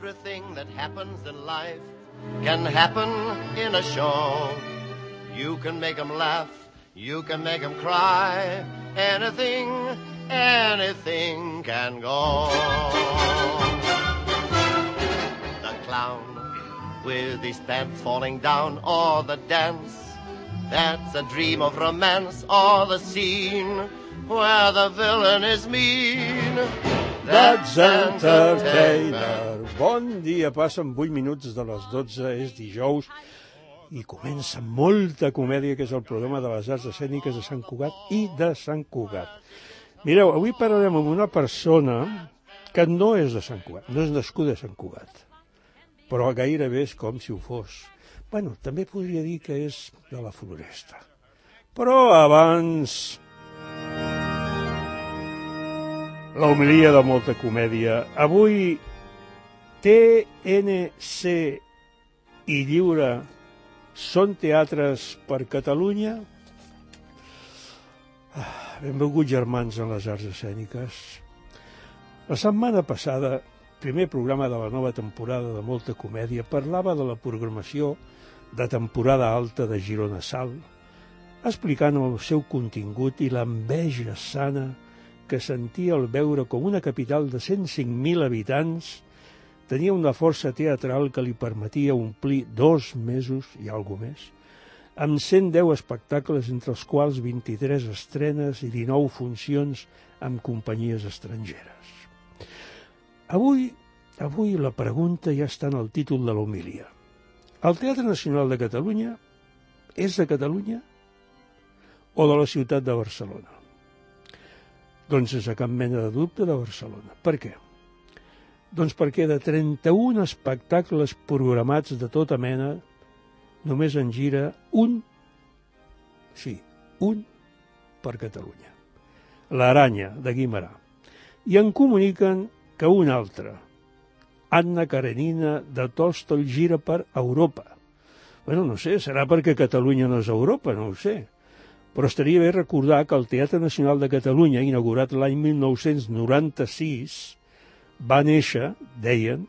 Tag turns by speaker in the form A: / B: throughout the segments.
A: Everything that happens in life can happen in a show. You can make them laugh, you can make them cry. Anything can go. The clown with his pants falling down, or the dance that's a dream of romance, or the scene where the villain is mean.
B: That's Entertainer. Bon dia, passen 8 minuts de les 12, és dijous i comença molta comèdia, que és el programa de les arts escèniques de Sant Cugat i de Sant Cugat. Mireu, avui parlarem amb una persona que no és de Sant Cugat, no és nascuda a Sant Cugat, però gairebé és com si ho fos. Bueno, també podria dir que és de la Floresta. Però abans, la homilia de molta comèdia. Avui, TNC i Lliure són teatres per Catalunya? Benvinguts, germans, en les arts escèniques. La setmana passada, primer programa de la nova temporada de molta comèdia, parlava de la programació de temporada alta de Girona Sal, explicant el seu contingut i l'enveja sana que sentia al veure com una capital de 105.000 habitants tenia una força teatral que li permetia omplir 2 mesos i alguna més, amb 110 espectacles, entre els quals 23 estrenes i 19 funcions amb companyies estrangeres. Avui la pregunta ja està en el títol de l'homilia. El Teatre Nacional de Catalunya és de Catalunya o de la ciutat de Barcelona? Doncs sense cap mena de dubte de Barcelona. Per què? Doncs perquè de 31 espectacles programats de tota mena, només en gira un per Catalunya. L'Aranya, de Guimerà. I en comuniquen que un altre, Anna Karenina, de Tolstoi, gira per Europa. Bueno, no sé, serà perquè Catalunya no és Europa, no ho sé. Però estaria bé recordar que el Teatre Nacional de Catalunya, inaugurat l'any 1996, va néixer, deien,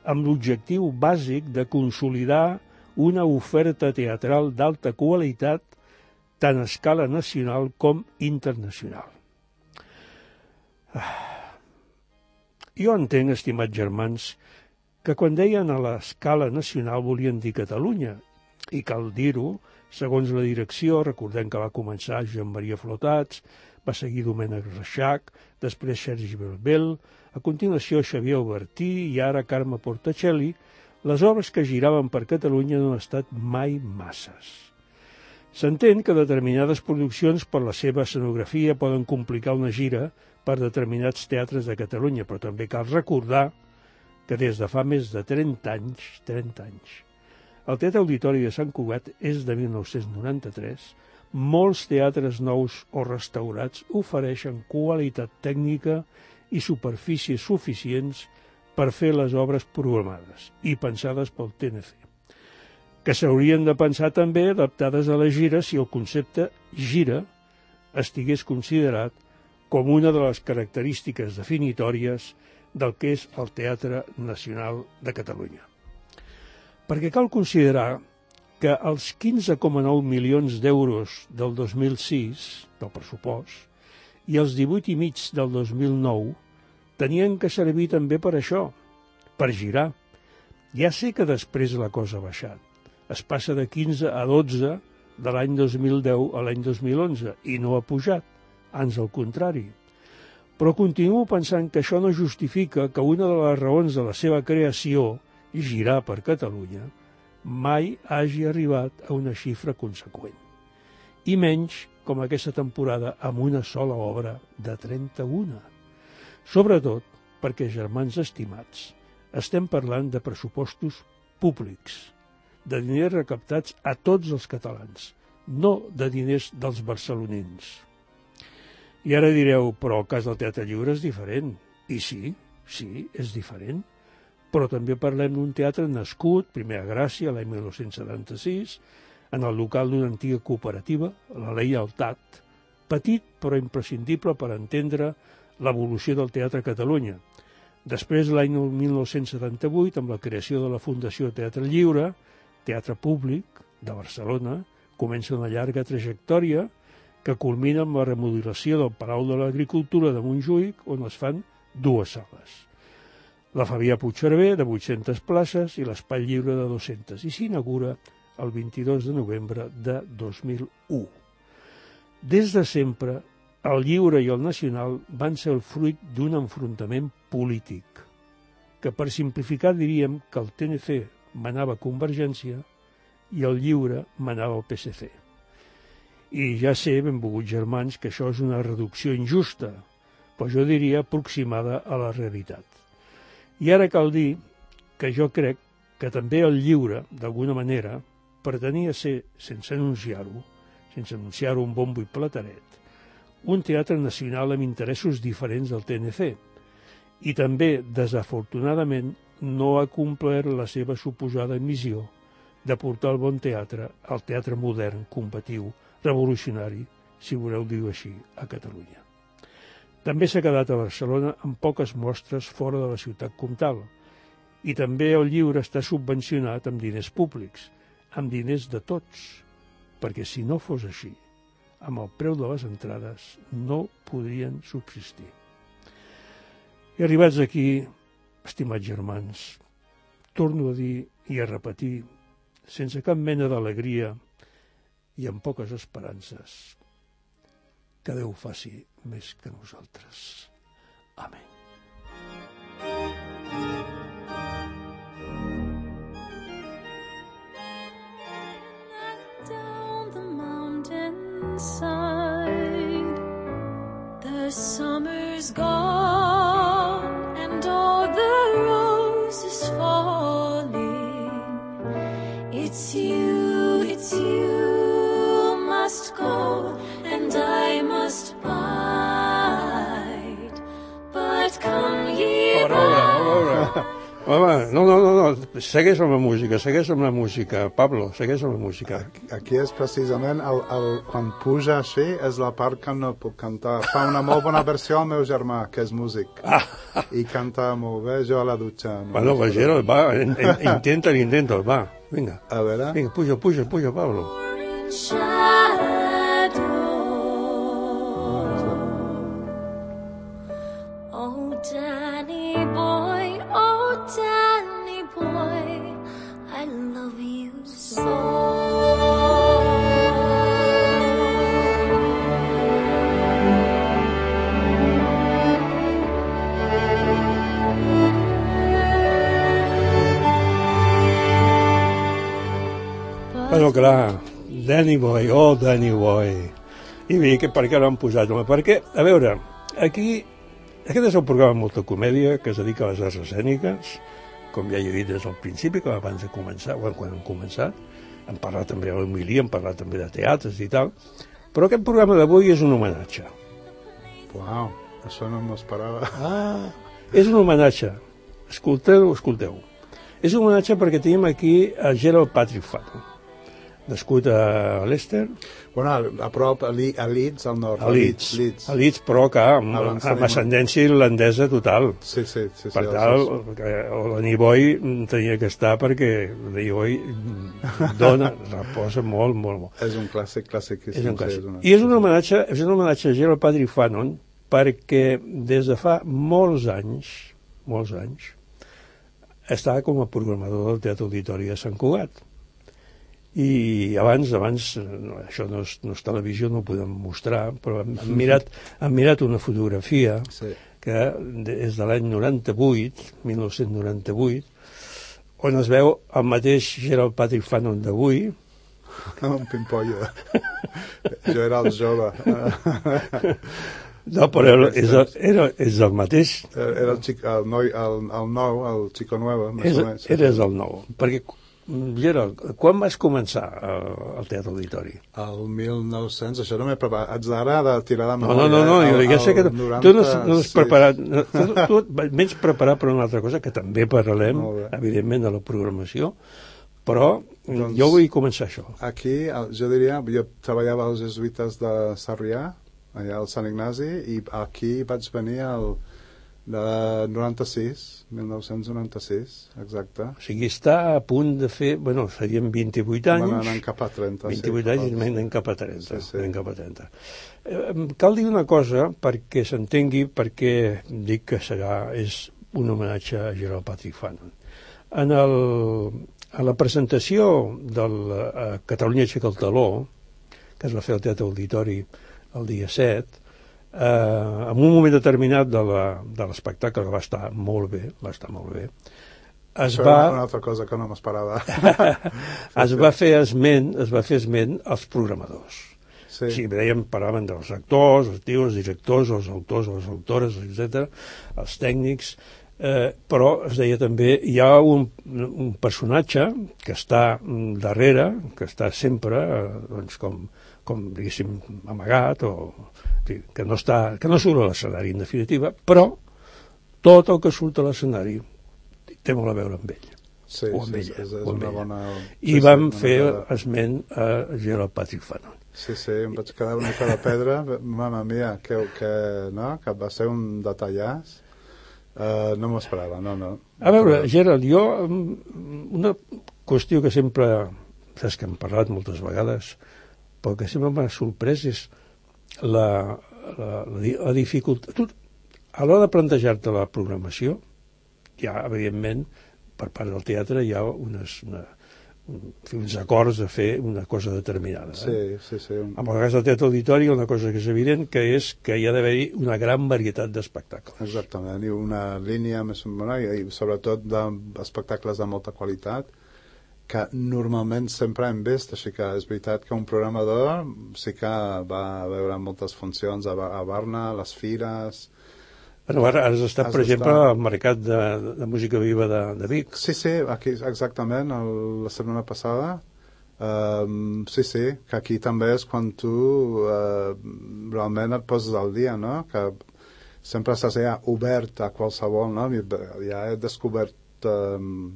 B: amb l'objectiu bàsic de consolidar una oferta teatral d'alta qualitat tant a escala nacional com internacional. Jo entenc, estimats germans, que quan deien a l'escala nacional volien dir Catalunya, i cal dir-ho, segons la direcció, recordem que va començar Joan Maria Flotats, va seguir Domènec Reixac, després Sergi Belbel, a continuació Xavier Albertí i ara Carme Portacelli, les obres que giraven per Catalunya no han estat mai masses. S'entén que determinades produccions per la seva escenografia poden complicar una gira per determinats teatres de Catalunya, però també cal recordar que des de fa més de 30 anys, el Teatre Auditori de Sant Cugat és de 1993. Molts teatres nous o restaurats ofereixen qualitat tècnica i superfícies suficients per fer les obres programades i pensades pel TNC, que s'haurien de pensar també adaptades a la gira si el concepte gira estigués considerat com una de les característiques definitòries del que és el Teatre Nacional de Catalunya. Perquè cal considerar que els 15,9 milions d'euros del 2006, del pressupost, i els 18,5 del 2009 tenien que servir també per això, per girar. Ja sé que després la cosa ha baixat. Es passa de 15 a 12 de l'any 2010 a l'any 2011 i no ha pujat, ans al contrari. Però continuo pensant que això no justifica que una de les raons de la seva creació, girar per Catalunya, mai hagi arribat a una xifra conseqüent. I menys com aquesta temporada amb una sola obra de 31. Sobretot perquè, germans estimats, estem parlant de pressupostos públics, de diners recaptats a tots els catalans, no de diners dels barcelonins. I ara direu, però el cas del Teatre Lliure és diferent. I sí, és diferent. Però també parlem d'un teatre nascut, primer a Gràcia, l'any 1976, en el local d'una antiga cooperativa, la Lleialtat, petit però imprescindible per entendre l'evolució del teatre a Catalunya, Després, l'any 1978, amb la creació de la Fundació Teatre Lliure, teatre públic de Barcelona, comença una llarga trajectòria que culmina amb la remodelació del Palau de l'Agricultura de Montjuïc, on es fan 2 sales. La Fabià Puigcerver, de 800 places, i l'Espai Lliure, de 200, i s'inaugura el 22 de novembre de 2001. Des de sempre, el Lliure i el Nacional van ser el fruit d'un enfrontament polític, que per simplificar diríem que el TNC manava Convergència i el Lliure manava el PSC. I ja sé, benvolguts germans, que això és una reducció injusta, però jo diria aproximada a la realitat. I ara cal dir que jo crec que també el Lliure, d'alguna manera, pretenia ser, sense anunciar-ho un bombo i plataret, un teatre nacional amb interessos diferents del TNC, i també, desafortunadament, no ha complert la seva suposada missió de portar el bon teatre al teatre modern, combatiu, revolucionari, si voleu dir-ho així, a Catalunya. També s'ha quedat a Barcelona amb poques mostres fora de la ciutat comtal, i també el Lliure està subvencionat amb diners públics, amb diners de tots, perquè si no fos així, amb el preu de les entrades no podrien subsistir. I arribats aquí, estimats germans, torno a dir i a repetir, sense cap mena d'alegria i amb poques esperances, que Déu faci més que nosaltres. Amén.
C: Down the mountainside, the summer's gone and all the roses falling. It's you must go and I must bide, but come ye
B: Home, no, segueix amb la música, Pablo, segueix amb la música.
D: Aquí és precisament, quan puja així, és la part que no puc cantar. Fa una molt bona versió el meu germà, que és músic, i canta molt bé, jo a la dutxa.
B: Bueno, Bagero, va, intenta, va, vinga.
D: A veure.
B: Vinga, puja, Pablo.
C: Oh, Danny boy, I love you so.
B: Bueno, clar, Danny Boy. I bé, per què l'han posat? Perquè, a veure, aquí, aquest és un programa amb molta comèdia que es dedica a les arts escèniques, com ja he dit des del principi, com abans de començar, quan hem començat. Hem parlat també de l'homilia, hem parlat també de teatres i tal, però aquest programa d'avui és un homenatge.
D: Uau, això no m'ho esperava.
B: És un homenatge. Escolteu. És un homenatge perquè tenim aquí a Gerald Patrick Fanon, nascut a Leicester.
D: Bueno, a prop, a Leeds, al nord.
B: A Leeds, però que amb ascendència irlandesa total.
D: Sí.
B: Per tal, Danny Boy tenia que estar perquè Danny Boy reposa molt.
D: És un clàssic.
B: I és un homenatge a Gerald Patrick Fanon perquè des de fa molts anys, estava com a programador del Teatre Auditori de Sant Cugat. I abans, això no és televisió, no ho podem mostrar, però hem mirat una fotografia que és de l'any 1998, on es veu el mateix Gerald Patrick Fanon d'avui.
D: Un pimpollo. Jo era el jove.
B: No, però és el mateix.
D: Era el nou, el xico nuevo.
B: Eres el nou, perquè Gerald, quan vas començar al Teatre Auditori?
D: El 1900, això no m'he preparat. Haig d'ara de tirar de memòria.
B: No, jo ja sé que tu no has preparat. Tu vens preparat per una altra cosa, que també parlarem, evidentment, de la programació, però jo vull començar això.
D: Aquí, jo diria, jo treballava als jesuïtes de Sarrià, allà al Sant Ignasi, i aquí vaig venir De 1996, exacte.
B: O sigui, està a punt de fer... Bueno, serien 28 anys.
D: Anem cap a 30.
B: 28 anys i anem cap a 30.
D: Sí.
B: Anem cap a 30. Cal dir una cosa perquè s'entengui, perquè dic que és un homenatge a Gerald Patrick Fanon. A la presentació del Catalunya aixeca el taló, que es va fer al Teatre Auditori el dia 7, en un moment determinat de l'espectacle, que va estar molt bé,
D: una altra cosa que no m'esperava.
B: es va fer esment als programadors.
D: Sí.
B: Sí, parlaven dels actors, els tios, els directors, els autors, les autores, etc., els tècnics, però es deia també hi ha un personatge que està darrere, que està sempre doncs, com diguéssim amagat o que no surt a l'escenari en definitiva, però tot el que surt a l'escenari té molt a veure amb ell.
D: Sí,
B: o amb ella,
D: és
B: o amb
D: una
B: ella.
D: bona...
B: I vam fer esment a Gerald Patrick Fanon.
D: Sí, em vaig quedar una mica de pedra, mama mia, que va ser un detallàs. No m'ho esperava, no.
B: A veure, Gerald, jo, una qüestió que sempre, saps que hem parlat moltes vegades, però que sempre m'ha sorprès és la dificultat. Tu, a l'hora de plantejar-te la programació, ja, evidentment, per part del teatre hi ha uns acords de fer una cosa determinada.
D: Sí.
B: En el cas del Teatre Auditori, una cosa que és evident que és que hi ha d'haver-hi una gran varietat d'espectacles.
D: Exactament, i una línia més bona, i sobretot d'espectacles de molta qualitat, que normalment sempre hem vist, així que és veritat que un programador sí que va veure moltes funcions a Barna, a les fires...
B: Bueno, ara has estat, per exemple, al Mercat de Música Viva de Vic.
D: Sí, aquí exactament, la setmana passada. Sí, que aquí també és quan tu realment et poses al dia, no? Que sempre estàs ja obert a qualsevol, no? Ja he descobert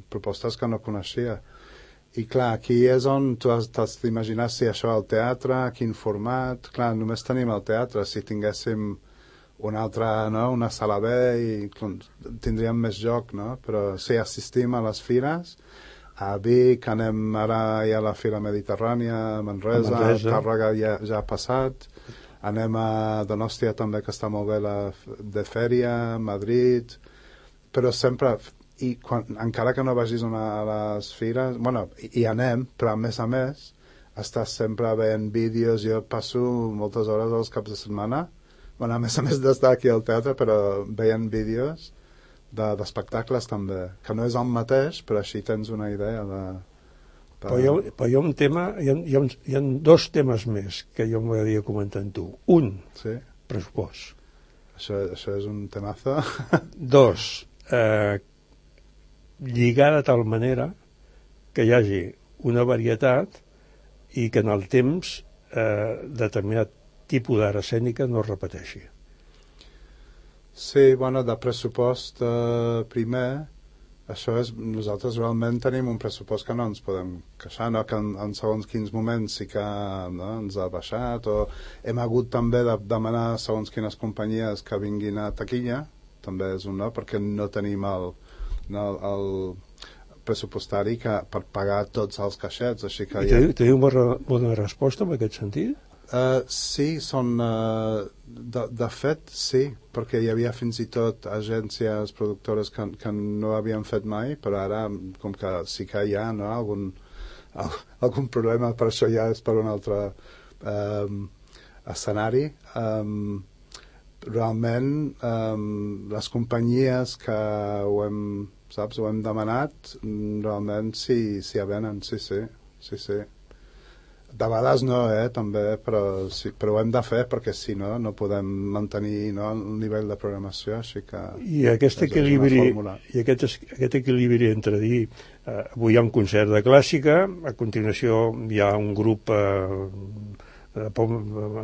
D: propostes que no coneixia. I clar, aquí és on tu has d'imaginar si això al teatre, quin format... Clar, només tenim el teatre, si tinguéssim una altra, no? Una sala B i tindríem més joc, no? Però si assistim a les fires, a Vic, anem ara ja a la Fira Mediterrània, a Manresa, Tàrrega ja ha passat, anem a Donòstia també, que està molt bé, la de Fèria, Madrid, però sempre... I encara que no vagis a les fires, bueno, hi anem, però a més estàs sempre veient vídeos. Jo passo moltes hores als caps de setmana, bueno, a més d'estar aquí al teatre, però veient vídeos d'espectacles també, que no és el mateix, però així tens una idea de...
B: Però hi ha un tema, hi ha dos temes més que jo m'agradaria comentar amb tu. Un,
D: sí?
B: Pressupost.
D: Això és un temazo.
B: Dos, lligar de tal manera que hi hagi una varietat i que en el temps determinat tipus d'art escènica no es repeteixi.
D: Sí, bueno, de pressupost primer, això és, nosaltres realment tenim un pressupost que no ens podem queixar, no? Que en segons quins moments sí que ens ha baixat, o hem hagut també de demanar a segons quines companyies que vinguin a taquilla, també és un no, perquè no tenim el pressupostari per pagar tots els caixets, així que...
B: I teniu bona resposta en aquest sentit?
D: Sí, de fet sí, perquè hi havia fins i tot agències productores que no havien fet mai, però ara com que sí que hi ha, no, algun problema, per això ja és per un altre escenari. Realment les companyies que ho hem demanat, realment sí avenen, sí. De vegades no, també, però ho hem de fer perquè si no, no podem mantenir el nivell de programació, així que...
B: I aquest equilibri entre dir avui hi ha un concert de clàssica, a continuació hi ha un grup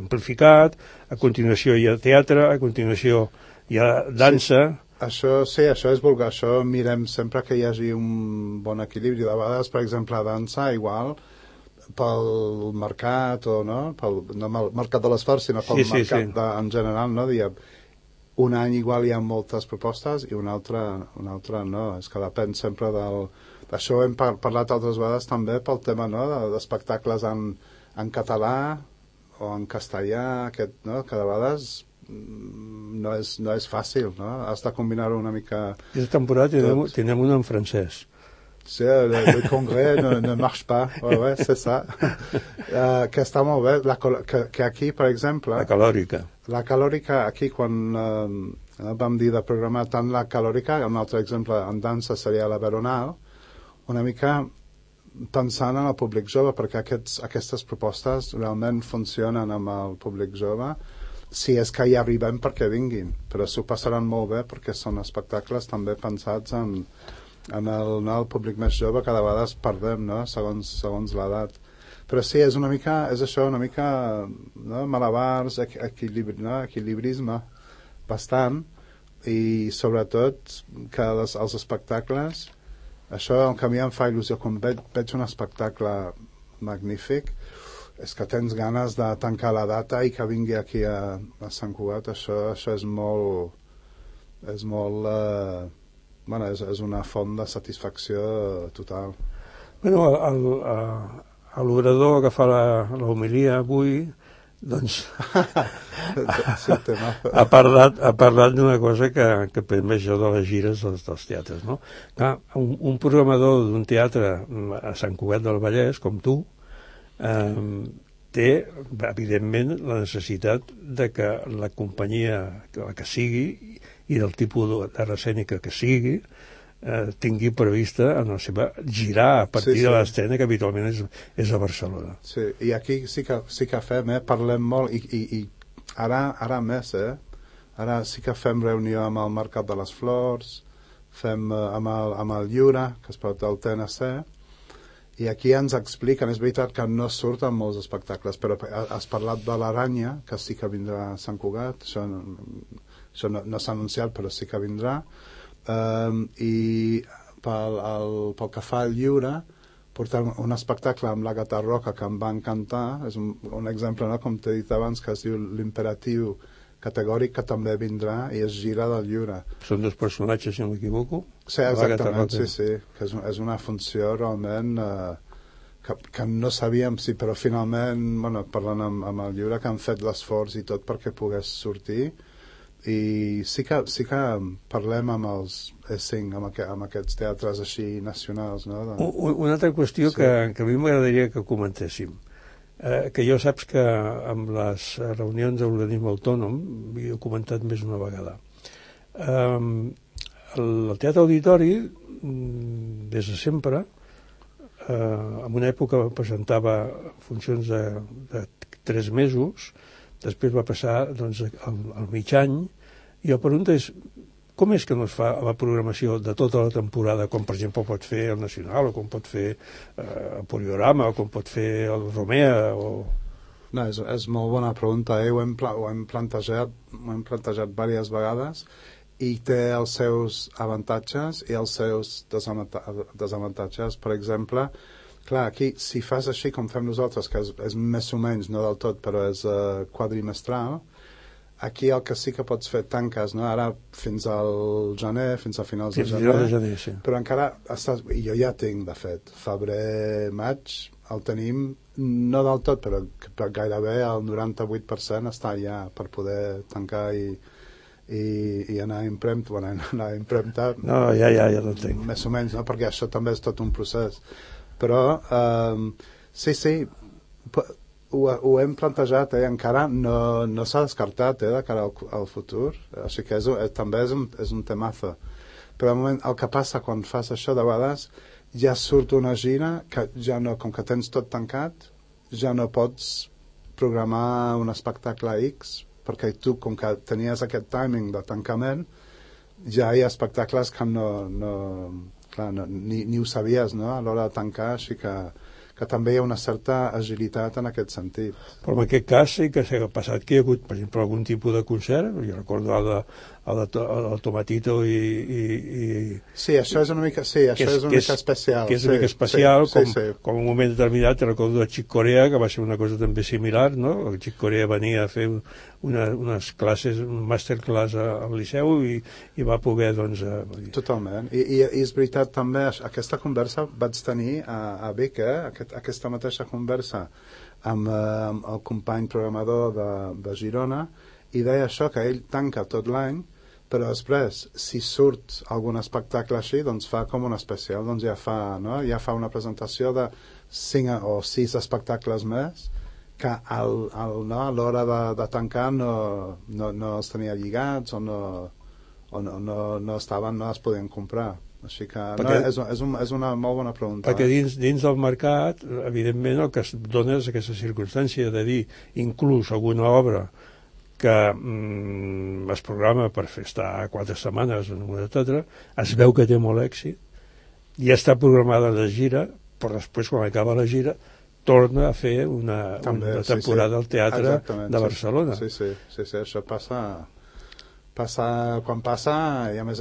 B: amplificat, a continuació hi ha teatre, a continuació hi ha dansa...
D: Sí, això és vulgar, això mirem sempre que hi hagi un bon equilibri. De vegades, per exemple, a dansa, igual, pel mercat, o no el mercat de les Fars, sinó pel mercat en general, no? un any igual hi ha moltes propostes i un altre no. És que depèn sempre d'això. Hem parlat altres vegades també pel tema, no, d'espectacles en català o en castellà, no? Que de vegades no és fàcil, no? Has de combinar-ho una mica.
B: Aquesta temporada tenim un en francès.
D: Sí, le congrès ne marche pas. Ouais, c'est ça. Que està molt bé. Que aquí, per exemple...
B: La calòrica.
D: La calòrica, aquí, quan vam dir de programar tant la calòrica, un altre exemple en dansa seria la veronal, una mica pensant en el públic jove, perquè aquestes propostes realment funcionen amb el públic jove, si és que hi arribem perquè vinguin, però s'ho passaran molt bé perquè són espectacles també pensats en el públic més jove, que de vegades perdem, no? segons l'edat. Però sí, és això, una mica, no? Malabars, equilibrisme bastant, i sobretot que els espectacles, això el que a mi em fa il·lusió quan veig un espectacle magnífic, és que tens ganes de tancar la data i que vingui aquí a Sant Cugat. Això és molt bueno, és una font de satisfacció total.
B: Bueno, l'orador que fa l'homilia avui, doncs ha parlat d'una cosa que prendré jo de les gires dels teatres, no? Clar, un programador d'un teatre a Sant Cugat del Vallès, com tu, té, evidentment, la necessitat de que la companyia, la que sigui, i del tipus de rescènica que sigui, tingui prevista en la seva girar a partir de l'estrena, que habitualment és a Barcelona.
D: Sí, i aquí sí que fem, parlem molt, i ara més, ara sí que fem reunió amb el Mercat de les Flors, fem amb el Lliure, que es pot del TNC, i aquí ens expliquen, és veritat que no surten molts espectacles, però has parlat de l'Aranya, que sí que vindrà a Sant Cugat, això no s'ha anunciat, però sí que vindrà, i pel que fa al Lliure, portem un espectacle amb l'Àgata Roca que em va encantar, és un exemple, no? Com t'he dit abans, que es diu l'Imperatiu Categòric, que també vindrà i es gira del Lliure.
B: Són dos personatges, si no m'equivoco?
D: Sí, exactament, sí, que és una funció realment que no sabíem si, però finalment, bueno, parlant amb el Lliure, que han fet l'esforç i tot perquè pogués sortir, i sí que parlem amb els E5, amb aquests teatres així nacionals, no?
B: Una altra qüestió que a mi m'agradaria que comentéssim, que jo saps que amb les reunions de l'organisme autònom he comentat més d'una vegada. El Teatre Auditori, des de sempre, en una època presentava funcions de 3 mesos, després va passar doncs, al mig any, i la pregunta és, com és que no es fa la programació de tota la temporada, com per exemple pot fer el Nacional, o com pot fer el Poliorama, o com pot fer el Romea, o...
D: No, és molt bona pregunta, ho hem plantejat diverses vegades, i té els seus avantatges i els seus desavantatges. Per exemple, clar, aquí, si fas així com fem nosaltres, que és més o menys, no del tot, però és quadrimestral, aquí el que sí que pots fer tanques, no? Ara fins al gener, fins a finals de gener,
B: sí.
D: Però encara i jo ja tinc, de fet, febrer, maig, el tenim, no del tot, però gairebé el 98% està ja per poder tancar i anar a impremta.
B: No, ja l'entenc.
D: Més o menys, no? Perquè això també és tot un procés. Però sí, ho hem plantejat, encara no s'ha descartat de cara al futur, així que també és un temazo. Però al moment, el que passa quan fas això, de vegades ja surt una gira que ja no, com que tens tot tancat, ja no pots programar un espectacle X, perquè tu, com que tenies aquest timing de tancament, ja hi ha espectacles que ni ho sabies, no? A l'hora de tancar, així que també hi ha una certa agilitat en aquest sentit.
B: Però en aquest cas sí que s'ha passat que hi ha hagut, per exemple, algun tipus de concert, jo recordo el Tomatito i...
D: Sí, això és una mica, especial.
B: Que és una mica especial, com un moment determinat, recordo de Chick Corea, que va ser una cosa també similar, no? El Chick Corea venia a fer unes classes, un masterclass al Liceu i va poder, doncs...
D: Totalment. I és veritat també, aquesta conversa vaig tenir a Vic, aquesta mateixa conversa amb el company programador de Girona, i deia això, que ell tanca tot l'any, però després, si surt algun espectacle així, doncs fa com un especial, doncs ja fa una presentació de 5 o 6 espectacles més, que a l'hora de tancar no els tenia lligats o no estaven, no es podien comprar. Així que és una molt bona pregunta.
B: Perquè dins del mercat, evidentment, el que es dona és aquesta circumstància de dir, inclús alguna obra que es programa per estar 4 setmanes, etc., es veu que té molt èxit, i està programada la gira, però després, quan acaba la gira, torna a fer una temporada al Teatre de Barcelona.
D: Sí, això passa quan passa, i a més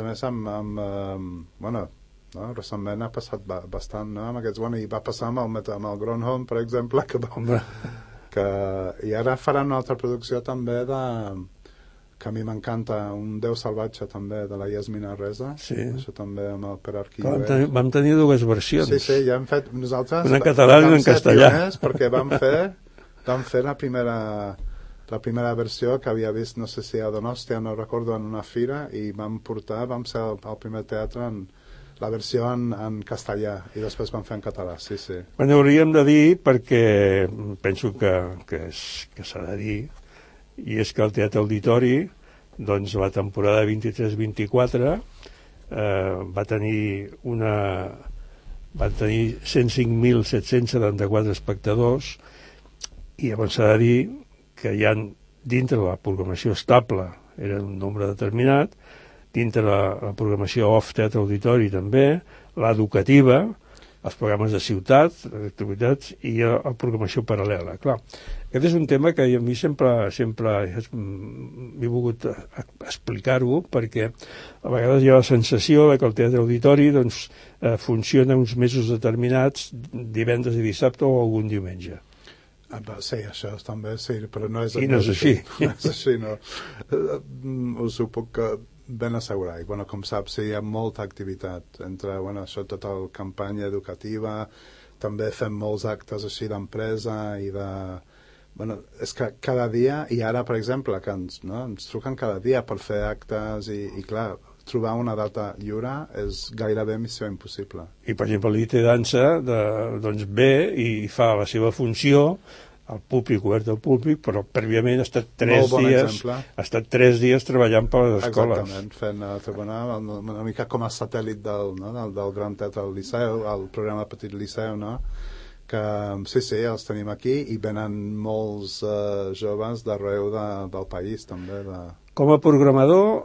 D: recentment ha passat bastant, no? Amb aquests, i va passar amb el Gronholm, per exemple, i ara faran una altra producció també que a mi m'encanta, Un Déu salvatge també, de la Yasmina Reza. Sí. Això també amb el Pere Arquilloés.
B: Vam tenir 2 versions.
D: Sí, ja hem fet nosaltres.
B: Una en català i una en castellà.
D: Perquè vam fer la primera versió que havia vist, no sé si a Donòstia, no recordo, en una fira, i vam ser el primer teatre en la versió en castellà, i després vam fer en català, sí.
B: Bueno, hauríem de dir, perquè penso que s'ha de dir, i és que el Teatre Auditori, doncs la temporada 23-24 va tenir 105.774 espectadors, i llavors s'ha de dir que hi ha dintre la programació estable, era un nombre determinat, dintre la programació off Teatre Auditori també, l'educativa, els programes de ciutat, activitats, i la programació paral·lela. Clar, aquest és un tema que a mi sempre he volgut explicar-ho, perquè a vegades hi ha la sensació que el Teatre Auditori funciona uns mesos determinats, divendres i dissabte o algun diumenge.
D: Sí, això també sí, però no és...
B: I no és així.
D: No és així, no. Us ho puc ben assegurar. I, com saps, hi ha molta activitat entre, això, tota la campanya educativa, també fem molts actes així d'empresa i de... és que cada dia, i ara, per exemple, que ens truquen cada dia per fer actes i clar, trobar una data lliure és gairebé missió impossible.
B: I, per exemple, l'IT Dansa ve i fa la seva funció al públic, obert al públic, però prèviament ha estat 3 dies treballant per les escoles.
D: Exactament, fent una mica com a satèl·lit del Gran Teatre del Liceu, el programa Petit Liceu, no? Que sí, els tenim aquí, i venen molts joves d'arreu del país també.
B: Com a programador,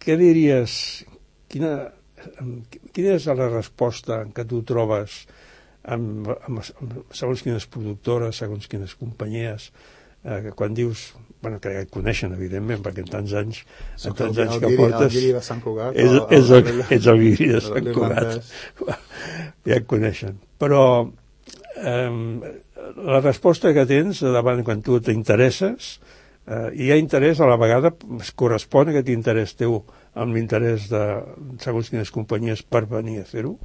B: què diries, quina és la resposta que tu trobes amb segons quines productores, segons quines companyies, quan dius, que ja et coneixen, evidentment, perquè en tants anys que portes...
D: El Guiri de Sant Cugat.
B: Ets el Guiri de Sant Cugat. Ja et coneixen. Però la resposta que tens davant quan tu t'interesses, hi ha interès, a la vegada es correspon aquest interès teu amb l'interès de segons quines companyies per venir a fer-ho?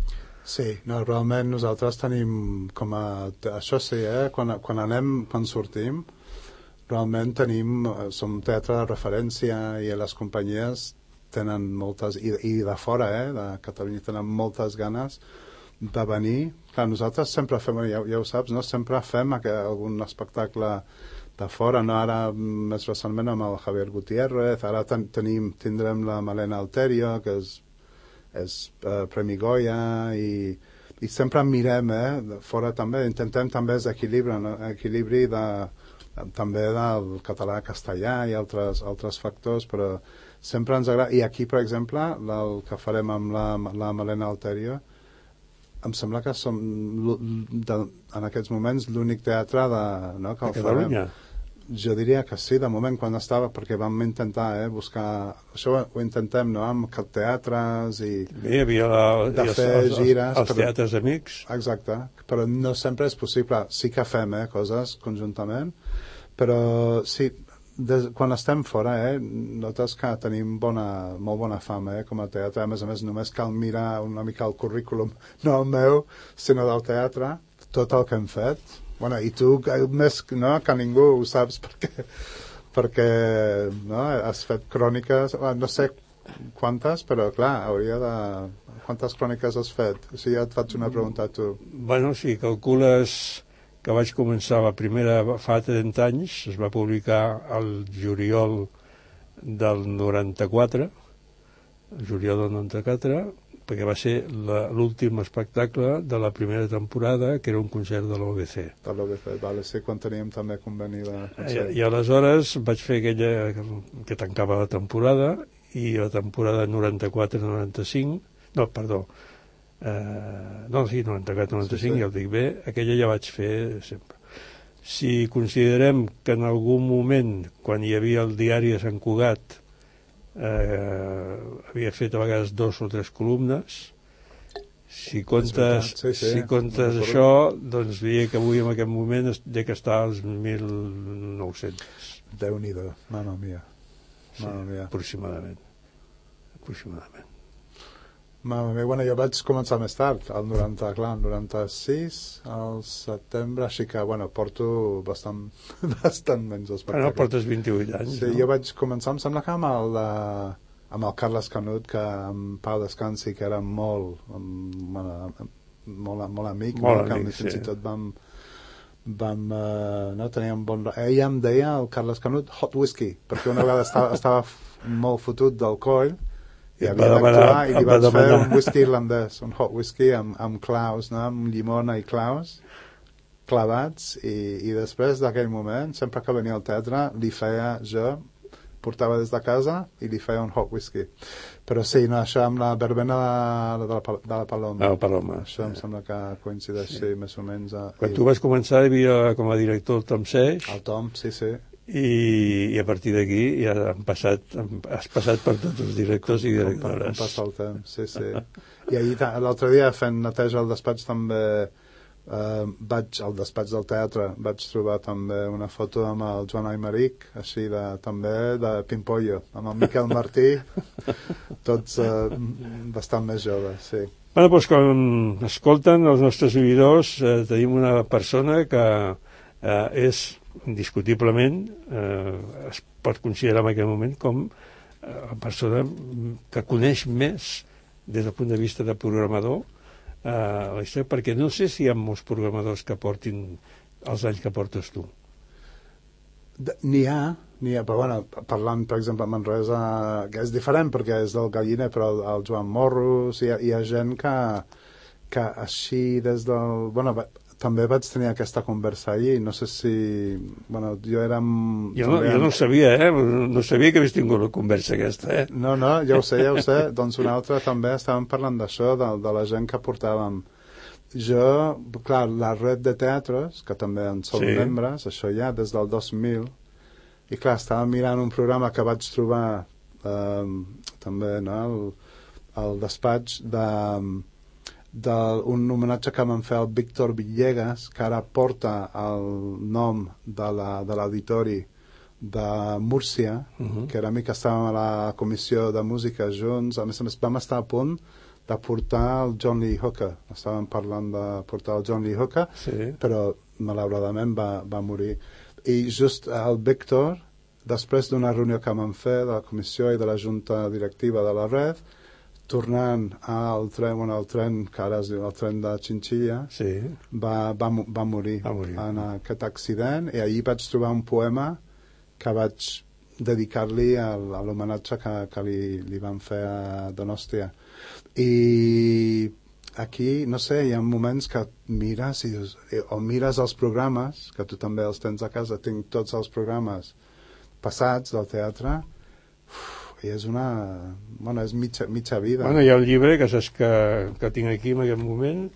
D: Sí, realment nosaltres tenim com a... Això sí, quan sortim, realment som teatre de referència, i les companyies tenen moltes, i de fora, de Catalunya, tenen moltes ganes de venir. Clar, nosaltres sempre fem, ja ho saps, no? Sempre fem algun espectacle de fora, no? Ara més recentment amb el Javier Gutiérrez, ara tindrem la Malena Alterio, que és Premi Goya, i sempre mirem fora també, intentem també equilibri també del català-castellà i altres factors, però sempre ens agrada. I aquí, per exemple, el que farem amb la Malena Alterio, em sembla que som en aquests moments l'únic teatre que el
B: Catalunya.
D: Jo diria que sí, de moment, quan estava, perquè vam intentar buscar... Això ho intentem, no?, amb teatres i...
B: Hi havia
D: fer gires...
B: Els teatres amics.
D: Exacte, però no sempre és possible. Sí que fem coses conjuntament, Però sí, quan estem fora, notes que tenim molt bona fama, com a teatre. A més, només cal mirar una mica el currículum, no el meu, sinó del teatre, tot el que hem fet. Bueno, i tu, més que ningú, ho saps perquè no, has fet cròniques, no sé quantes, però clar, quantes cròniques has fet? O sigui, ja et faig una pregunta a tu.
B: Bueno, si calcules que vaig començar la primera fa 30 anys, es va publicar el juliol del 94, perquè va ser l'últim espectacle de la primera temporada, que era un concert de l'OBC.
D: De l'OBC, vale, sí, quan teníem també conveni de concert.
B: I aleshores vaig fer aquella que tancava la temporada, i la temporada 94-95, no, perdó, no, sí, 94-95, sí. Ja ho dic bé, aquella ja vaig fer sempre. Si considerem que en algun moment, quan hi havia el diari de Sant Cugat, havia fet a vegades 2 o 3 columnes, si comptes això, doncs diria que avui en aquest moment de que està als 1.900.
D: Déu-n'hi-do, mama mia.
B: Sí, aproximadament.
D: Mama mia, bueno, jo vaig començar més tard, el 96, al setembre, així que, bueno, porto bastant menys espectacles.
B: Bueno, portes 28 anys,
D: sí,
B: no?
D: Jo vaig començar, em sembla que amb el Carles Canut, que amb Pau Descansi, que era molt amic, fins i tot vam no, teníem bon... Ella em deia, el Carles Canut, hot whisky, perquè una vegada estava molt fotut del coll i havia d'actuar i li vaig fer un whisky irlandès, un hot whisky amb claus, no? Amb llimona i claus clavats, i després d'aquell moment, sempre que venia al teatre, portava des de casa i li feia un hot whisky. Però sí, no, això amb la verbena de la Paloma.
B: La Paloma.
D: Això em sembla que coincideix, sí, més o menys.
B: Quan tu vas començar, hi havia com a director el Tom Seix.
D: El Tom, sí.
B: I a partir d'aquí ja has passat per tots els directors i directores.
D: Com passa el temps, sí. I ahir, l'altre dia, fent neteja al despatx, també al despatx del teatre vaig trobar també una foto amb el Joan Aymeric, així també de Pimpollo, amb el Miquel Martí, tots bastant més joves, sí.
B: Bueno, doncs com escolten els nostres oïdors, tenim una persona que és indiscutiblement, es pot considerar en aquest moment com la persona que coneix més des del punt de vista de programador la història, perquè no sé si hi ha molts programadors que portin els anys que portes tu.
D: N'hi ha, però bueno, parlant, per exemple, a Manresa, que és diferent perquè és del Galliner, però el Joan Morros, hi ha gent que així des del... Bueno, també vaig tenir aquesta conversa ahir, no sé si... Bueno, jo era...
B: Jo no ho sabia, no sabia que havies tingut la conversa aquesta,
D: No, ja ho sé. Doncs una altra també estàvem parlant d'això, de la gent que portàvem. Jo, clar, la red de teatres, que també en som membres, això ja des del 2000, i clar, estàvem mirant un programa que vaig trobar també, no?, al despatx d'un homenatge que vam fer al Víctor Villegas, que ara porta el nom de l'auditori de Múrcia, que era mi que estàvem a la comissió de música junts. A més, vam estar a punt de portar el John Lee Hooker. Estàvem parlant de portar el John Lee Hooker, però malauradament va morir. I just el Víctor, després d'una reunió que vam fer de la comissió i de la junta directiva de la red, tornant al tren, que ara es diu el tren de Chinchilla, va morir en aquest accident, i ahir vaig trobar un poema que vaig dedicar-li a l'homenatge que li van fer a Donòstia. I aquí, no sé, hi ha moments que mires i dius, o mires els programes, que tu també els tens a casa, tinc tots els programes passats del teatre, i és és mitja vida.
B: Bueno, hi ha un llibre que saps que tinc aquí en aquest moment,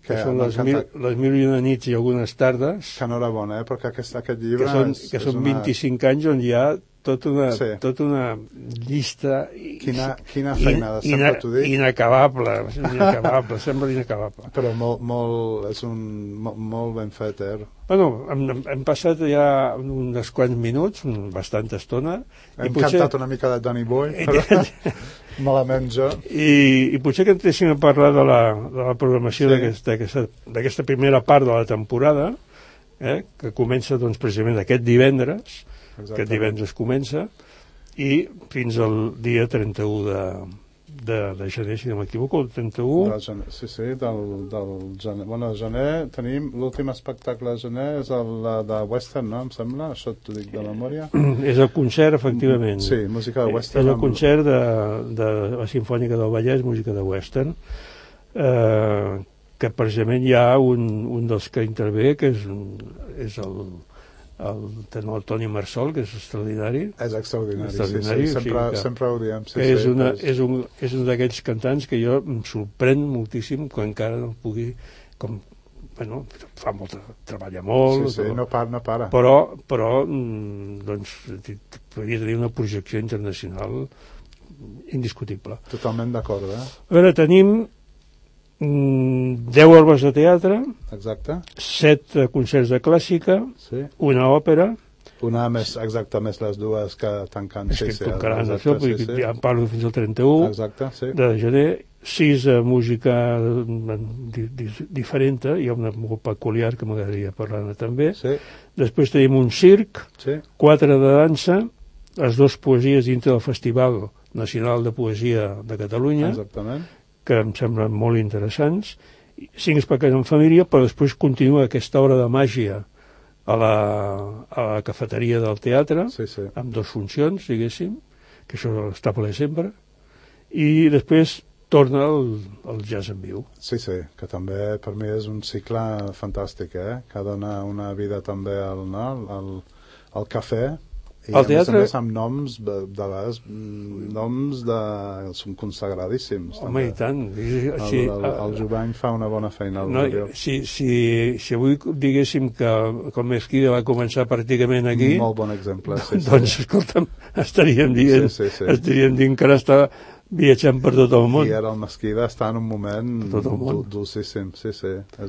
B: que són les 1001 nits i algunes tardes.
D: Que enhorabona, perquè aquest llibre...
B: Que són 25 anys on hi ha tota una llista
D: Quina feina, sempre t'ho dic.
B: Inacabable, sembla inacabable.
D: Però molt ben fet,
B: Bueno, hem passat ja uns quants minuts, bastanta estona.
D: Hem cantat una mica de Danny Boy, però malament jo.
B: I potser que entréssim a parlar de la programació d'aquesta primera part de la temporada, que comença doncs, precisament aquest divendres. Aquest divendres comença i fins al dia 31 de gener, si no m'equivoco, el 31.
D: Del gener. Bueno, a gener tenim l'últim espectacle de gener, és el de Western, no? Em sembla, això t'ho dic de memòria.
B: És el concert, efectivament.
D: Sí, música de Western.
B: És el concert de la Simfònica del Vallès, música de Western, que precisament hi ha un dels que intervé, que és el tenor Toni Marsol, que és extraordinari.
D: És extraordinari. Sempre ho diem.
B: És un d'aquells cantants que jo em sorprèn moltíssim quan encara no pugui... treballa molt...
D: No para.
B: Però doncs, podria tenir una projecció internacional indiscutible.
D: Totalment d'acord,
B: A veure, tenim 10 obres de teatre,
D: exacte,
B: 7 concerts de clàssica, una òpera,
D: una més les dues que tanquen.
B: Tocaran això, ja en parlo fins al 31 de gener, 6 música diferent, hi ha una molt peculiar que m'agradaria parlar també. Després tenim un circ, 4 de dansa, les 2 poesies dintre del Festival Nacional de Poesia de Catalunya, que em semblen molt interessants, 5 espectacles en família, però després continua aquesta hora de màgia a la cafeteria del teatre, amb 2 funcions, diguéssim, que això està ple sempre, i després torna el jazz en viu.
D: Sí, que també per mi és un cicle fantàstic, que dona una vida també al cafè. I a més amb noms són consagradíssims.
B: Home, i tant.
D: El Jovany fa una bona feina.
B: Si avui diguéssim que el Mesquida va començar pràcticament aquí,
D: molt bon exemple.
B: Doncs, escolta'm, estaríem dient que ara està viatjant per tot el món.
D: I ara el Mesquida està en un moment dolcíssim. És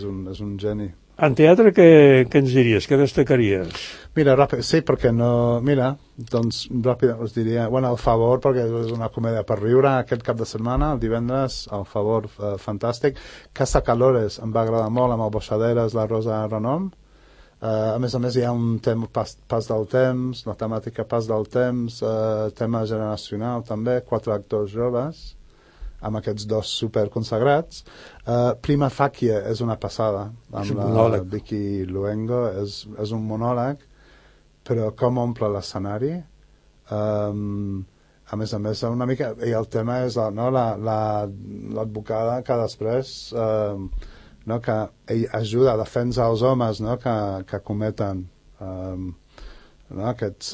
D: un geni.
B: En teatre, què ens diries? Què destacaries?
D: Mira, perquè no... Mira, doncs ràpid us diria... Bueno, El Favor, perquè és una comèdia per riure aquest cap de setmana, el divendres, El Favor, fantàstic. Casa Calores, em va agradar molt, amb el Boixaderes, la Rosa Renom. A més hi ha un tema pas del temps, la temàtica pas del temps, tema generacional també, 4 actors joves, amb aquests 2 superconsagrats. Prima Facie és una passada, amb la Vicky Luengo, és un monòleg, però com omple l'escenari. A més, una mica... I el tema és l'advocada que després que ell ajuda a defensar els homes que cometen aquests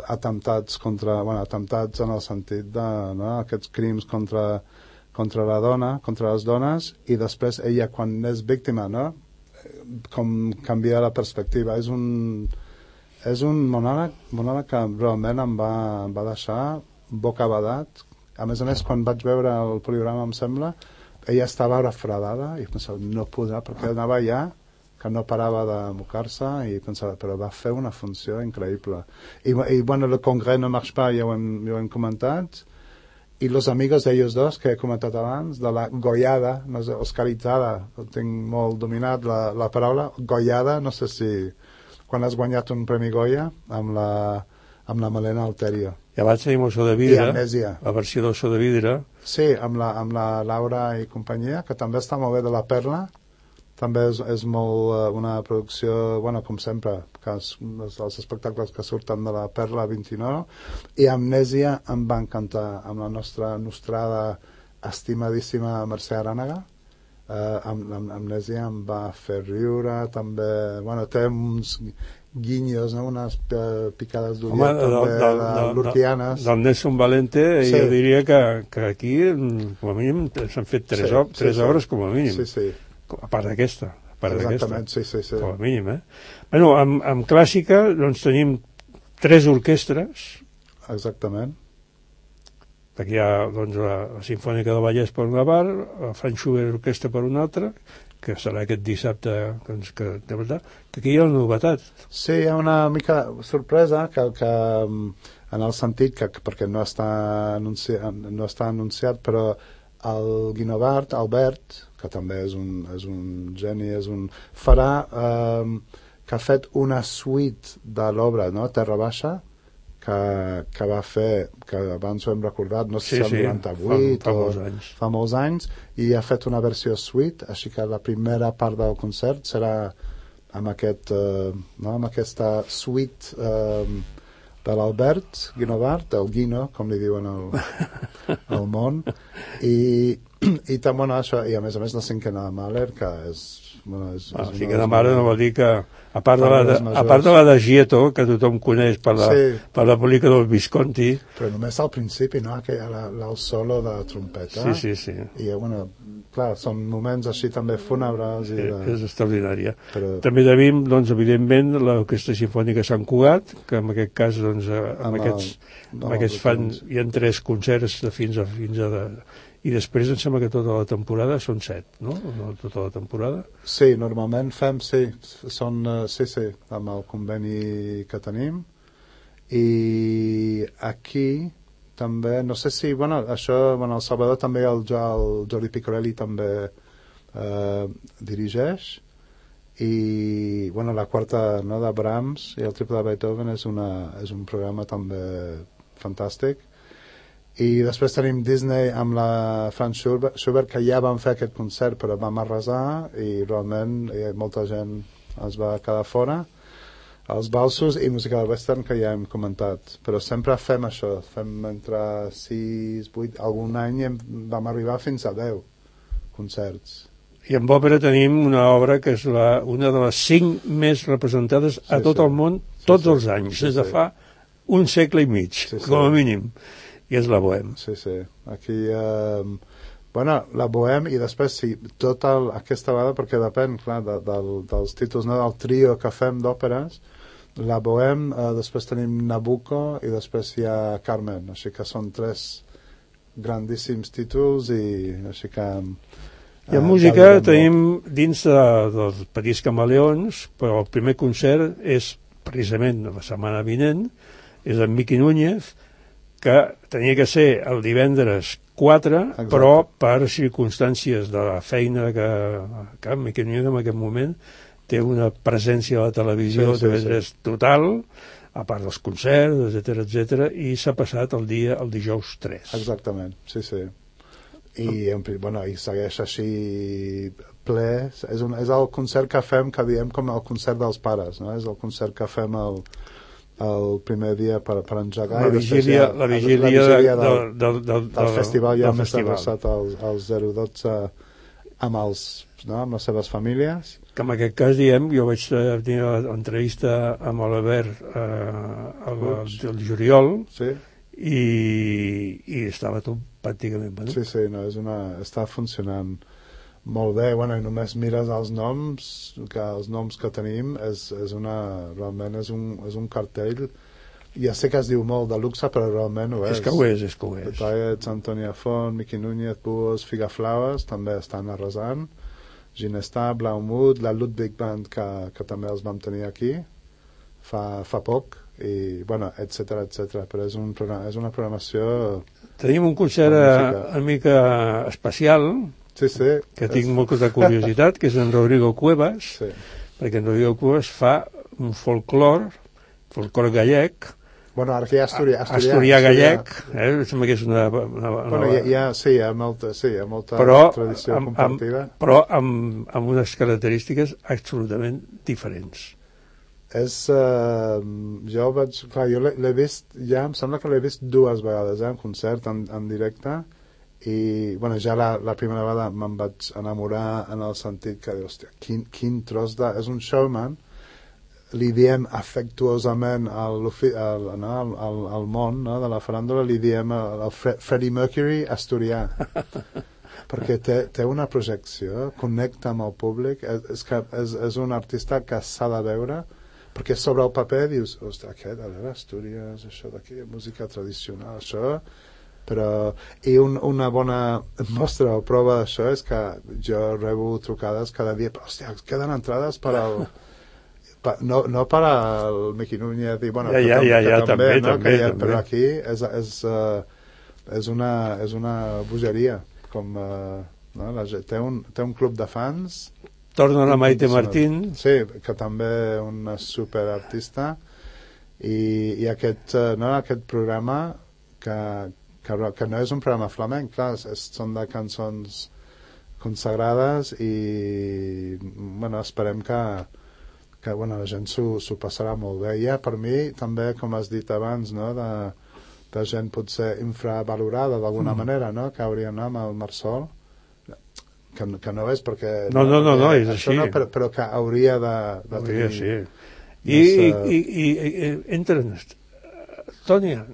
D: atemptats atemptats en el sentit d'aquests crims contra la dona, contra les dones, i després ella, quan és víctima, com canvia la perspectiva. És un monòleg que realment em va deixar bocabadat. A més, quan vaig veure el programa, em sembla, ella estava refredada i pensava, no podrà, perquè anava allà, que no parava de mocar-se, i pensava, però va fer una funció increïble. I bueno, el Congrès no marche pas, ja ho hem comentat, i Los Amigos de ellos dos, que he comentat abans, de la Goyada, no sé, oscaritzada, tinc molt dominat la paraula, Goyada, no sé si quan has guanyat un Premi Goya amb la Malena Alterio.
B: I abans tenim Oso de Vidre, la versió d'Oso de Vidre.
D: Sí, amb la Laura i companyia, que també està molt bé, de la Perla. També és molt una producció, bueno, com sempre, els espectacles que surten de la Perla 29, i Amnèsia em va encantar, amb la nostra nostrada estimadíssima Mercè Arànega. Amnèsia em va fer riure, també, bueno, té uns guinyos, unes picades d'ulleta l'Urtianes.
B: Del Nelson Valente, jo diria que aquí, com a mínim, s'han fet 3 obres com a mínim.
D: Sí.
B: A part d'aquesta.
D: Exactament, sí.
B: Com a mínim, Bueno, amb clàssica, doncs tenim 3 orquestres,
D: Exactament.
B: Perquè hi ha doncs, la Simfònica del Vallès per una part, la Franz Schubert Orquestra per una altra, que serà aquest dissabte, doncs, que de veritat, que aquí hi ha una novetat.
D: Sí, hi ha una mica sorpresa que en el sentit que perquè no està anunciat, però el Guinovart, Albert, que també és un geni, farà que ha fet una suite de l'obra, no? Terra Baixa, que va fer, que abans ho hem recordat, no sé si el 98 fa molts anys, i ha fet una versió suite, així que la primera part del concert serà amb aquesta suite de l'Albert Guinovart, el Guino, com li diuen al món, i també això, i a més la cinquena de Mahler, que és
B: la cinquena de Mahler no vol dir que a part de la de Gietto, que tothom coneix per la pel·lícula del Visconti,
D: però només al principi, no? El solo de trompeta,
B: sí.
D: I clar, són moments així també fúnebres
B: és extraordinària. També tenim, doncs, evidentment, l'Orquestra Simfònica Sant Cugat, que en aquest cas, doncs, aquests fan, hi ha 3 concerts de fins a i després em sembla que tota la temporada són 7, no? Tota la temporada?
D: Sí, normalment fem, sí, amb el conveni que tenim. I aquí també, no sé si, el Salvador també, el Jordi Picorelli també dirigeix, i la quarta, no, de Brahms i el triple de Beethoven és un programa també fantàstic. I després tenim Disney amb la Franz Schubert, que ja vam fer aquest concert però vam arrasar i realment molta gent es va quedar fora. Els valsos i música del western, que ja hem comentat, però sempre fem això, fem entre 6, 8, algun any vam arribar fins a 10 concerts.
B: I en òpera tenim una obra que és una de les 5 més representades a tot el món tots els anys, des de fa un segle i mig, com a mínim, i és la Bohème.
D: Sí. Aquí, la Bohème, i després, sí, tota aquesta vegada, perquè depèn, clar, dels títols, no, del trio que fem d'òperes, la Bohème, després tenim Nabucco, i després hi ha Carmen, així que són 3 grandíssims títols, i així que...
B: I en música tenim dins dels Petits Camaleons, però el primer concert és precisament la setmana vinent, és en Miqui Núñez, que tenia que ser el divendres 4, exacte, però per circumstàncies de la feina que Miqui Núñez en aquest moment té una presència a la televisió total, a part dels concerts, etc, i s'ha passat el dijous 3.
D: Exactament, sí. I segueix així ple. És el concert que fem, que diem com el concert dels pares, no? És el concert que fem el primer dia per engegar,
B: la vigília
D: del festival, ja més adreçat als 0-12 amb les seves famílies,
B: que en aquest cas diem, jo vaig tenir l'entrevista amb l'Albert el juliol, i estava tot pràcticament venut.
D: Sí, està funcionant molt bé. I només mires els noms que tenim, realment és un cartell, ja sé que es diu molt de luxe, però realment ho és.
B: És que ho és.
D: Detallets, Antonia Font, Miqui Núñez, Búhos, Figaflaues també estan arrasant, Ginestar, Blaumut, la Ludwig Band, que també els vam tenir aquí fa poc, i etc, però és una programació. Tenim
B: un concert una mica especial, que tinc molta curiositat, que és en Rodrigo Cuevas, perquè en Rodrigo Cuevas fa un folclor gallec,
D: ara que hi ha
B: asturià gallec, sembla que és una
D: hi ha molta tradició compartida,
B: però amb unes característiques absolutament diferents.
D: Jo l'he vist ja, em sembla que l'he vist 2 vegades en concert, en directe, i ja la primera vegada me'n vaig enamorar en el sentit que, hòstia, quin tros és un showman, li diem afectuosament al món, no, de la faràndula, li diem el Freddie Mercury asturià, perquè té una projecció, connecta amb el públic, és un artista que s'ha de veure, perquè sobre el paper dius, ostres, aquest, a veure, Astúries, això d'aquí, música tradicional, això, però i una bona mostra o prova d'això és que jo rebo trucades cada dia, hòstia, queden entrades per al no per al Miqui Núñez i bueno,
B: també,
D: no?
B: també.
D: Però aquí és una bogeria com no? Té un club de fans.
B: Torna la Maite Martín,
D: sí, que també és una superartista i aquest programa que no és un programa flamenc, clar, són de cançons consagrades i bueno, esperem que bueno, la gent s'ho passarà molt bé. Hi ha per mi també, com has dit abans, no? de gent potser infravalorada d'alguna manera, no? Que hauria d'anar amb el Marsol, que no és perquè
B: no, és així,
D: no, però que hauria de tenir
B: sí. I entren Tònia,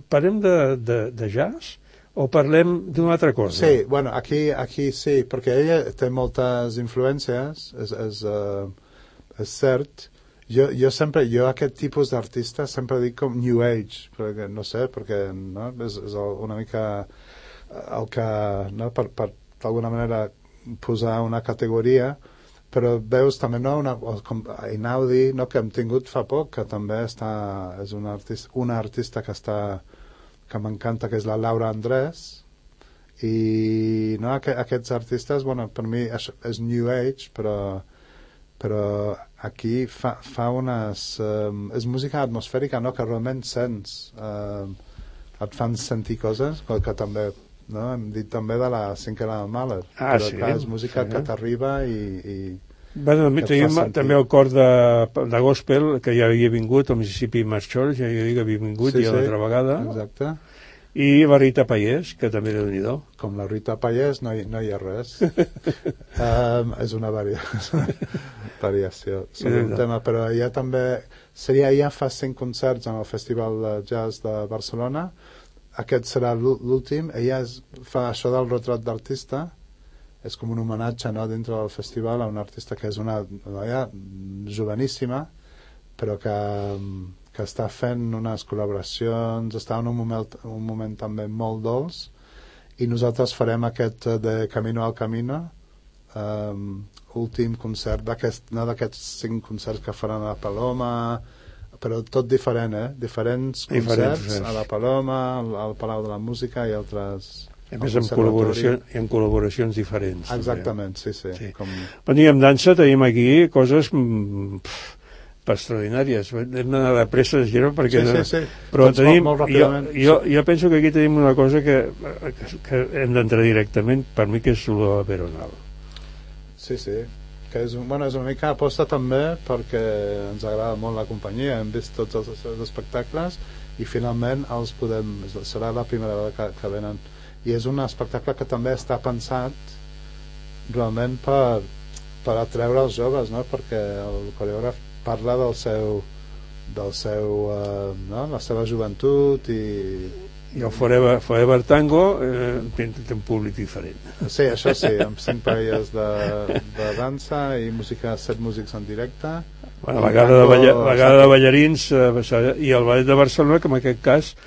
B: parlem de jazz o parlem d'una altra cosa?
D: Sí, bueno, aquí sí, perquè ella té moltes influències, és cert. Jo aquest tipus d'artista sempre dic com New Age, perquè no sé, perquè no, és una mica el que, no, per d'alguna manera posar una categoria, però veus també com Einaudi, no, que hem tingut fa poc, que també és una artista que m'encanta, que és la Laura Andrés, i no, aquests artistes, bueno, per mi és New Age, però aquí fa unes és música atmosfèrica, no, que realment sents, et fan sentir coses que també, no, hem dit també de la cinquena de Mahler, però
B: sí,
D: clar, és música que t'arriba i
B: bueno, tenim també el cor de gospel, que ja havia vingut al Mississippi Mass Church, ja havia vingut ja l'altra vegada, exacte. I la Rita Pallés, que també Déu-n'hi-do.
D: Com la Rita Pallés no hi ha res. És una variació sobre un tema, però ja també ja fa 5 concerts en el Festival de Jazz de Barcelona. Aquest serà l'últim. Ella fa això del retrat d'artista, és com un homenatge, no, dintre del festival a una artista que és una noia joveníssima, però que està fent unes col·laboracions, està en un moment també molt dolç, i nosaltres farem aquest de Camino al Camino, últim concert d'aquests 5 concerts que faran a la Paloma, però tot diferent, diferents concerts a la Paloma, al Palau de la Música i altres...
B: A més, en col·laboracions diferents.
D: Exactament, sí.
B: Bueno, i amb dansa tenim aquí coses extraordinàries. Hem d'anar de pressa de giro perquè...
D: Sí.
B: Però tenim...
D: Molt ràpidament.
B: Jo penso que aquí tenim una cosa que hem d'entrar directament, per mi, que és la Veronal.
D: Sí, que és una mica aposta també perquè ens agrada molt la companyia, hem vist tots els seus espectacles i finalment serà la primera vegada que venen, i és un espectacle que també està pensat realment per atreure els joves, no? Perquè el coreògraf parla del seu no? La seva joventut
B: i el Forever Tango té un públic diferent.
D: Sí, això sí, amb 5 parelles de dansa i 7 músics en directe,
B: la vegada de ballarins i el Ballet de Barcelona, que en aquest cas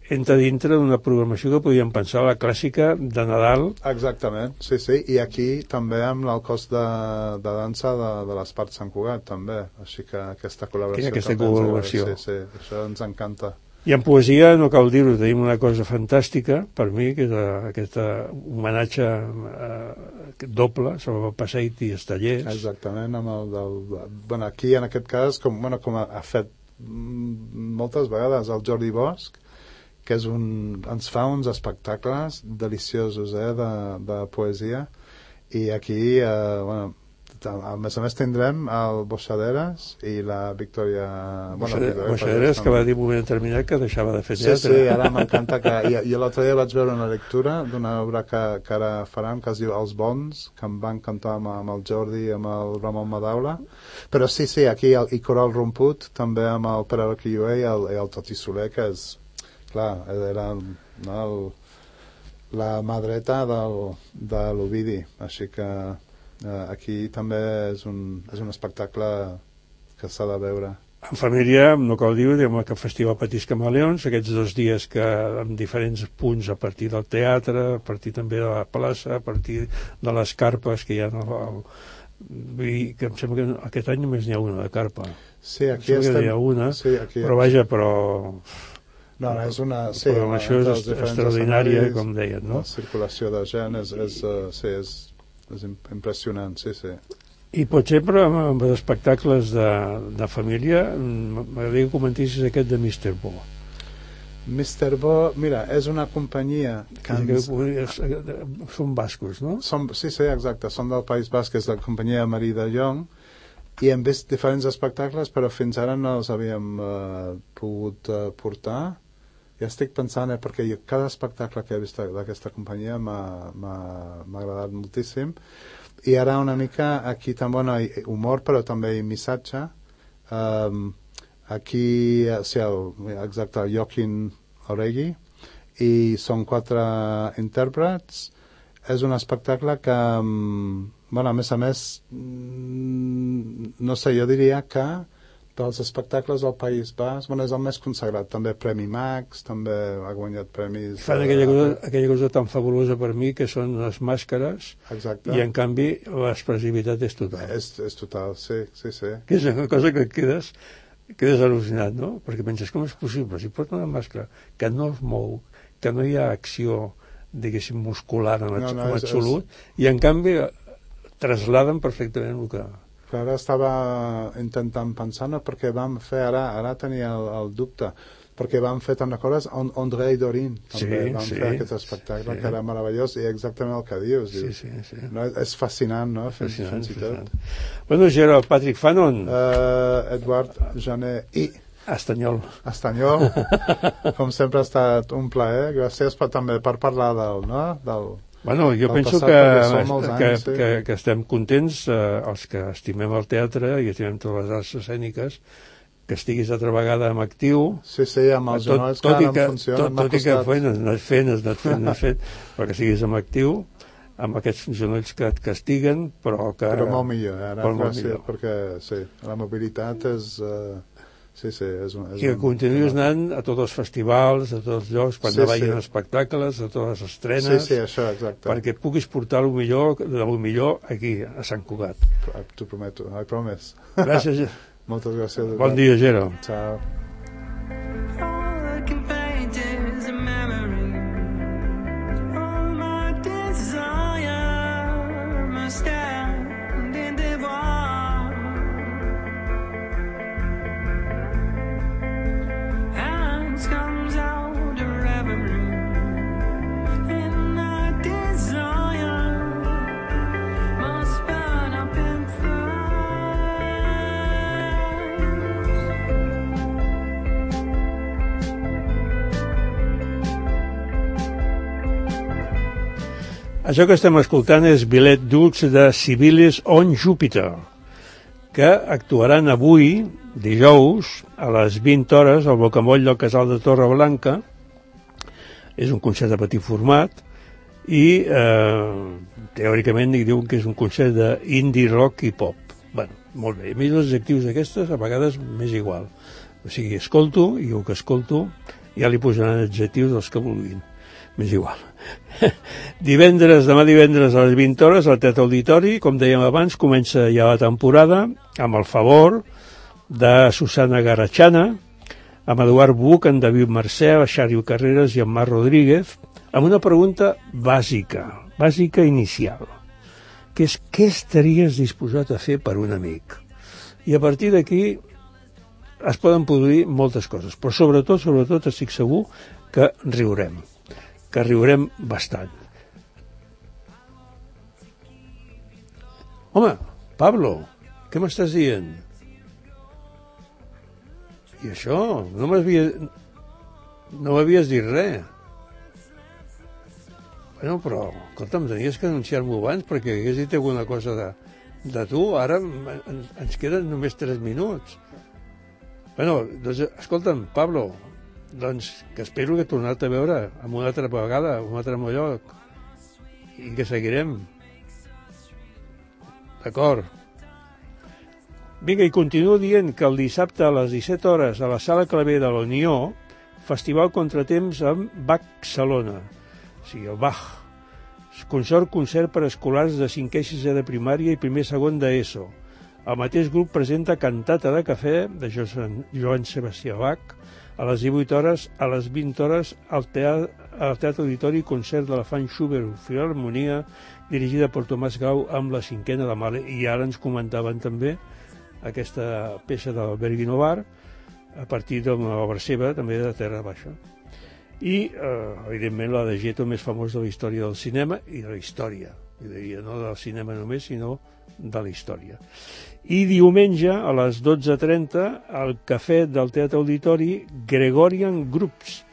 B: entra dintre d'una programació que podíem pensar la clàssica de Nadal.
D: Exactament, sí, i aquí també amb el cos de dansa de l'Espart Sant Cugat també, així que aquesta col·laboració sí, això ens encanta.
B: I en poesia, no cal dir-ho, tenim una cosa fantàstica per mi, que és aquest homenatge doble sobre el Passeig i Estallers.
D: Exactament, bueno, aquí en aquest cas com ha fet moltes vegades el Jordi Bosch, que ens fa uns espectacles deliciosos de poesia, i aquí a més tindrem el Boixaderes i la Victòria
B: Boixaderes, que va dir un moment determinat que deixava de fer teatre.
D: Sí, ara m'encanta jo l'altre dia vaig veure una lectura d'una obra que ara faran, que es diu Els Bons, que em van cantar amb el Jordi i amb el Ramon Madaula, però sí, aquí i Coral Romput també amb el Pere Arquilloé i el Toti Soler, que és clar, era la mà dreta de l'Ovidi, així que aquí també és un espectacle que s'ha de veure.
B: En família, no cal dir-ho, diguem que el Festival Petits Camaleons, aquests 2 dies que en diferents punts, a partir del teatre, a partir també de la plaça, a partir de les carpes que hi ha que em sembla que aquest any només n'hi ha una de carpa.
D: Sí, aquí estem...
B: Hi ha una,
D: sí, aquí...
B: però vaja,
D: No, és una...
B: La programació és extraordinària, com deien, no?
D: La circulació de gent és impressionant, sí.
B: I potser, però, amb els espectacles de família, m'agradaria que comentessis aquest de Mr. Bo.
D: Mr. Bo, mira, és una companyia que
B: són bascos, no?
D: Sí, exacte, són del País Basc, és la companyia Marí de Llong, i hem vist diferents espectacles, però fins ara no els havíem pogut portar. Ja estic pensant, perquè cada espectacle que he vist d'aquesta companyia m'ha agradat moltíssim. I ara una mica aquí també hi ha humor, però també hi ha missatge. Aquí, exacte, Joaquín Oregui, i són 4 intèrprets. És un espectacle que, a més, no sé, jo diria que dels espectacles del País Basc, és el més consagrat, també Premi Max, també ha guanyat premis...
B: Fan aquella cosa tan fabulosa per mi, que són les màscares,
D: exacte.
B: I en canvi l'expressivitat és total.
D: És total, sí.
B: Que és una cosa que quedes al·lucinat, no? Perquè penses, com és possible? Si porta una màscara que no es mou, que no hi ha acció, diguéssim, muscular en absolut, i en canvi trasladen perfectament el que...
D: Ara estava intentant pensar, no? Perquè vam fer, ara tenia el dubte, perquè vam fer també coses, André i Dorin també vam fer aquest espectacle, que era meravellós, i exactament el que dius.
B: Sí.
D: No? És fascinant, no? Fascinant.
B: Bueno, Gerard, Patrick Fanon.
D: Edward Janet i...
B: Estanyol,
D: com sempre ha estat un plaer. Gràcies també per parlar del
B: Bueno, jo penso que estem contents, els que estimem el teatre i estimem totes les arts escèniques, que estiguis altra vegada en actiu.
D: Sí, amb els genolls que ara em funcionen.
B: Tot i que has anat fent, però que estiguis en actiu, amb aquests genolls que et castiguen, però
D: molt millor, ara gràcies, perquè la mobilitat és... I
B: que continuïs anant a tots els festivals, a tots els llocs, quan vagin espectacles, a totes les estrenes,
D: això, exacte.
B: Perquè puguis portar el millor aquí, a Sant Cugat.
D: T'ho prometo, I promise.
B: Gràcies.
D: Moltes gràcies.
B: Bon dia, Gero.
D: Ciao.
B: Això que estem escoltant és Billet Dux de Civilis on Júpiter, que actuaran avui, dijous, a les 20 hores, al Bocamoll del Casal de Torreblanca. És un concert de petit format i teòricament diuen que és un concert d'indie rock i pop. Bueno, molt bé. A mi els adjectius d'aquestes a vegades m'és igual. O sigui, escolto i el que escolto ja li posaran adjectius dels que vulguin. M'és igual. Demà divendres a les 20 hores al Teatre Auditori, com dèiem abans, comença ja la temporada amb el favor de Susana Garachana, amb Eduard Buch, en David Mercè, Xario Carreras i en Marc Rodríguez, amb una pregunta bàsica inicial, que és què estaries disposat a fer per un amic? I a partir d'aquí es poden produir moltes coses, però sobretot estic segur que riurem bastant. Home, Pablo, què m'estàs dient? I això, no m'havies dit res. Bueno, però, escolta'm, tenies que anunciar-m'ho abans perquè hagués dit alguna cosa de tu. Ara ens queden només 3 minuts. Bueno, doncs, escolta'm, Pablo, doncs que espero que tornar-te a veure amb una altra vegada, un altre lloc, i que seguirem. D'acord? Vinga, i continuo dient que el dissabte a les 17 hores a la Sala Clavé de la Unió, Festival Contratemps amb Bach-Salona, o sigui, el Bach. Concert per escolars de 5è i 6è de primària i 1è i 2è d'ESO. El mateix grup presenta Cantata de cafè de Joan Sebastià Bach a les 18 hores, a les 20 hores al Teatre Auditori, concert de la Fan Schubert Filharmonia dirigida per Tomàs Grau amb la 5a de Mahler. I ara ens comentaven també aquesta peça del Berguinovar a partir d'una obra seva, també de Terra Baixa. I, evidentment, la de Gieto més famós de la història del cinema i de la història. Jo diria, no del cinema només, sinó de la història. I diumenge, a les 12:30, al cafè del Teatre Auditori, Gregorian Groups,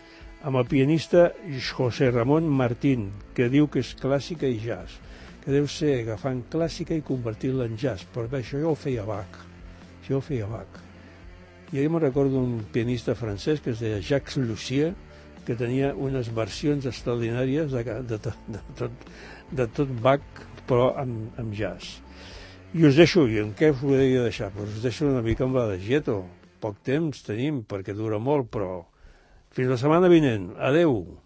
B: amb el pianista José Ramón Martín, que diu que és clàssica i jazz, que deu ser agafant clàssica i convertir-la en jazz, però bé, això ja ho feia Bach. Jo me'n recordo un pianista francès que es deia Jacques Lussier, que tenia unes versions extraordinàries de tot Bach, però amb jazz. I us deixo, i en què us podria deixar? Us deixo una mica amb la de Gieto. Poc temps tenim, perquè dura molt, però fins la setmana vinent. Adeu!